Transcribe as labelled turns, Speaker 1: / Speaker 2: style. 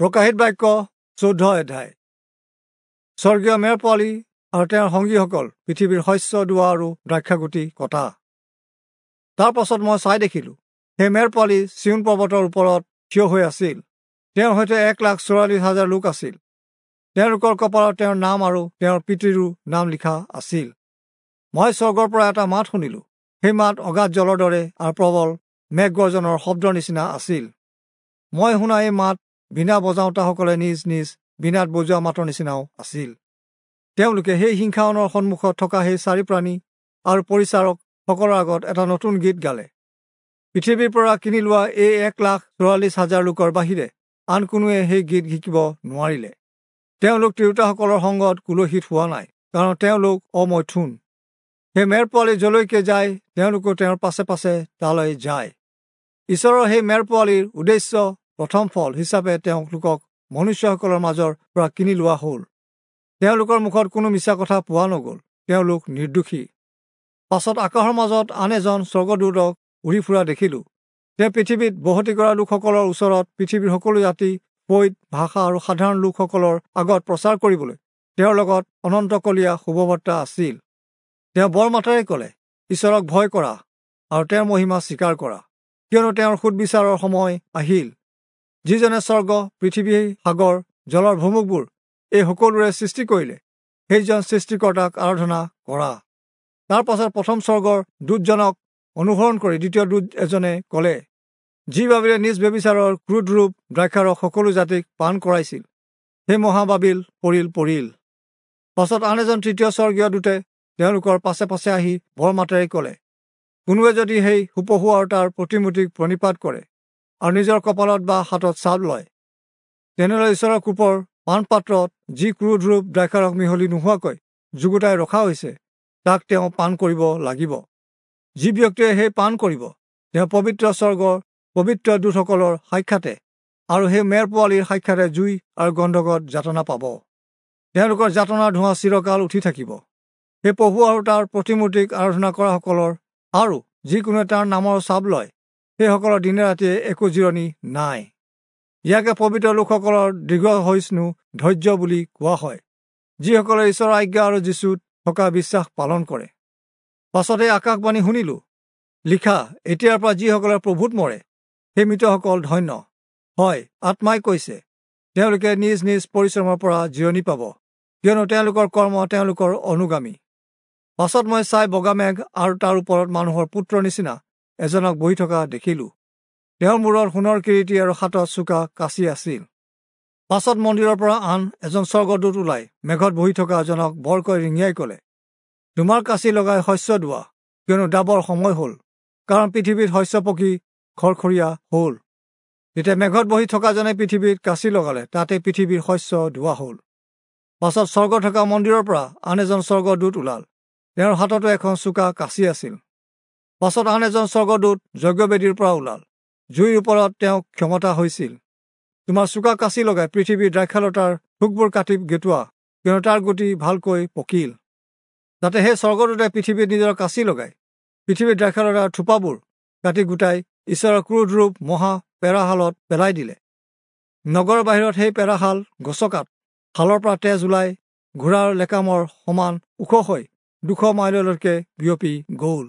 Speaker 1: প্ৰকাশিত বাক্য 14 অধ্যায়। স্বৰ্গীয় মেৰ পোৱালি আৰু তেওঁৰ সংগীসকল পৃথিৱীৰ শস্য দোৱা আৰু দ্ৰাক্ষাগুটি কটা। তাৰ পাছত মই চাই দেখিলোঁ, সেই মেৰ পোৱালি চিয়োন পৰ্বতৰ ওপৰত থিয় হৈ আছিল। তেওঁৰ সৈতে 1,44,000 লোক আছিল। তেওঁলোকৰ কপালত তেওঁৰ নাম আৰু তেওঁৰ পিতৃৰো নাম লিখা আছিল। মই স্বৰ্গৰ পৰা এটা মাত শুনিলোঁ। সেই মাত অগাধ জলৰ দৰে আৰু প্ৰবল মেঘগৰ্জনৰ শব্দৰ নিচিনা আছিল। মই শুনা এই মাত বীণা বজাওঁতাসকলে নিজ নিজ বীণাত বজোৱা মাতৰ নিচিনাও আছিল। তেওঁলোকে সেই সিংহাসনৰ সন্মুখত থকা সেই চাৰি প্ৰাণী আৰু পৰিচাৰকসকলৰ আগত এটা নতুন গীত গালে। পৃথিৱীৰ পৰা কিনি লোৱা এই 1,44,000 লোকৰ বাহিৰে আন কোনোৱে সেই গীত শিকিব নোৱাৰিলে। তেওঁলোক তিৰোতাসকলৰ সংগত কুলসিত হোৱা নাই, কাৰণ তেওঁলোক অমৈথুন। সেই মেৰ পোৱালি যলৈকে যায়, তেওঁলোকো তেওঁৰ পাছে পাছে তালৈ যায়। ঈশ্বৰৰ সেই মেৰ পোৱালিৰ উদ্দেশ্য প্ৰথম ফল হিচাপে তেওঁলোকক মনুষ্যসকলৰ মাজৰ পৰা কিনি লোৱা হ'ল। তেওঁলোকৰ মুখত কোনো মিছা কথা পোৱা নগ'ল, তেওঁলোক নিৰ্দোষী। পাছত আকাশৰ মাজত আন এজন স্বৰ্গদূতক উৰি ফুৰা দেখিলোঁ। তেওঁ পৃথিৱীত বসতি কৰা লোকসকলৰ ওচৰত পৃথিৱীৰ সকলো জাতি, ফৈদ, ভাষা আৰু সাধাৰণ লোকসকলৰ আগত প্ৰচাৰ কৰিবলৈ তেওঁৰ লগত অনন্তকলীয়া শুভবাৰ্তা আছিল। তেওঁ বৰ মাতেৰে ক'লে, ঈশ্বৰক ভয় কৰা আৰু তেওঁৰ মহিমা স্বীকাৰ কৰা, কিয়নো তেওঁৰ সুদবিচাৰৰ সময় আহিল। যিজনে স্বৰ্গ, পৃথিৱী, সাগৰ, জলৰ ভুমুকবোৰ এই সকলোৰে সৃষ্টি কৰিলে, সেইজন সৃষ্টিকৰ্তাক আৰাধনা কৰা। তাৰ পাছত প্ৰথম স্বৰ্গৰ দূতজনক অনুসৰণ কৰি দ্বিতীয় দূত এজনে ক'লে, যি বাবিলে নিজ ব্যভিচাৰৰ ক্ৰোধৰূপ দ্ৰাক্ষাৰস সকলো জাতিক পান কৰাইছিল, সেই মহাবাবিল পৰিল পৰিল। পাছত আন এজন তৃতীয় স্বৰ্গীয় দূতে তেওঁলোকৰ পাছে পাছে আহি বৰ মাতেৰে ক'লে, কোনোৱে যদি সেই সুপহু আৰু তাৰ প্ৰতিমূৰ্তিক প্ৰণিপাত কৰে আৰু নিজৰ কপালত বা হাতত ছাপ লয়, তেনেহ'লে ঈশ্বৰৰ কোপৰ পানপাত্ৰত যি ক্ৰোধৰূপ দ্ৰাক্ষাৰস মিহলি নোহোৱাকৈ যুগুতাই ৰখা হৈছে, তাক তেওঁ পান কৰিব লাগিব। যি ব্যক্তিয়ে সেই পান কৰিব, তেওঁ পবিত্ৰ স্বৰ্গৰ পবিত্ৰ দূতসকলৰ সাক্ষাতে আৰু সেই মেৰ পোৱালিৰ সাক্ষাতে জুই আৰু গন্ধকত যাতনা পাব। তেওঁলোকৰ যাতনাৰ ধোঁৱা চিৰকাল উঠি থাকিব। সেই পশু আৰু তাৰ প্ৰতিমূৰ্তিক আৰাধনা কৰাসকলৰ আৰু যিকোনোৱে তাৰ নামৰ ছাপ লয়, সেইসকলৰ দিনে ৰাতিয়ে একো জিৰণি নাই। ইয়াকে পবিত্ৰ লোকসকলৰ দীৰ্ঘসহিষ্ণু ধৈৰ্য বুলি কোৱা হয়, যিসকলে ঈশ্বৰৰ আজ্ঞা আৰু যীচুত থকা বিশ্বাস পালন কৰে। পাছতে আকাশবাণী শুনিলোঁ, লিখা, এতিয়াৰ পৰা যিসকলে প্ৰভুত মৰে, সেই মৃতসকল ধন্য হয়। আত্মাই কৈছে, তেওঁলোকে নিজ নিজ পৰিশ্ৰমৰ পৰা জিৰণি পাব, কিয়নো তেওঁলোকৰ কৰ্ম তেওঁলোকৰ অনুগামী। পাছত মই চাই বগা মেঘ আৰু তাৰ ওপৰত মানুহৰ পুত্ৰৰ নিচিনা এজনক বহি থকা দেখিলোঁ। তেওঁৰ মূৰত সোণৰ কিৰীটি আৰু হাতত চোকা কাঁচি আছিল। পাছত মন্দিৰৰ পৰা আন এজন স্বৰ্গদূত ওলাই মেঘত বহি থকা এজনক বৰকৈ ৰিঙিয়াই ক'লে, তোমাৰ কাঁচি লগাই শস্য দোৱা, কিয়নো দাবৰ সময় হ'ল, কাৰণ পৃথিৱীত শস্য পকি খৰখৰীয়া হ'ল। তেতিয়া মেঘত বহি থকাজনে পৃথিৱীত কাঁচি লগালে, তাতে পৃথিৱীৰ শস্য দোৱা হ'ল। পাছত স্বৰ্গ থকা মন্দিৰৰ পৰা আন এজন স্বৰ্গদূত ওলাল, তেওঁৰ হাততো এখন চোকা কাঁচি আছিল। পাছত আন এজন স্বৰ্গদূত যজ্ঞবেদীৰ পৰা ওলাল, জুইৰ ওপৰত তেওঁক ক্ষমতা হৈছিল। তোমাৰ চোকা কাঁচি লগাই পৃথিৱীৰ দ্ৰাক্ষালতাৰ থোকবোৰ কাটি গেটোৱা, কিয়নো তাৰ গুটি ভালকৈ পকিল। তাতে সেই স্বৰ্গদূতে পৃথিৱীত নিজৰ কাঁচি লগাই পৃথিৱীৰ দ্ৰাক্ষালতাৰ থোপাবোৰ কাটি গোটাই ঈশ্বৰৰ ক্ৰোধৰূপ মহা পেৰাশালত পেলাই দিলে। নগৰৰ বাহিৰত সেই পেৰাশাল গছকাত শালৰ পৰা তেজ ওলাই ঘোঁৰাৰ লেকামৰ সমান ওখ হৈ 200 মাইললৈকে বিয়পি গ'ল।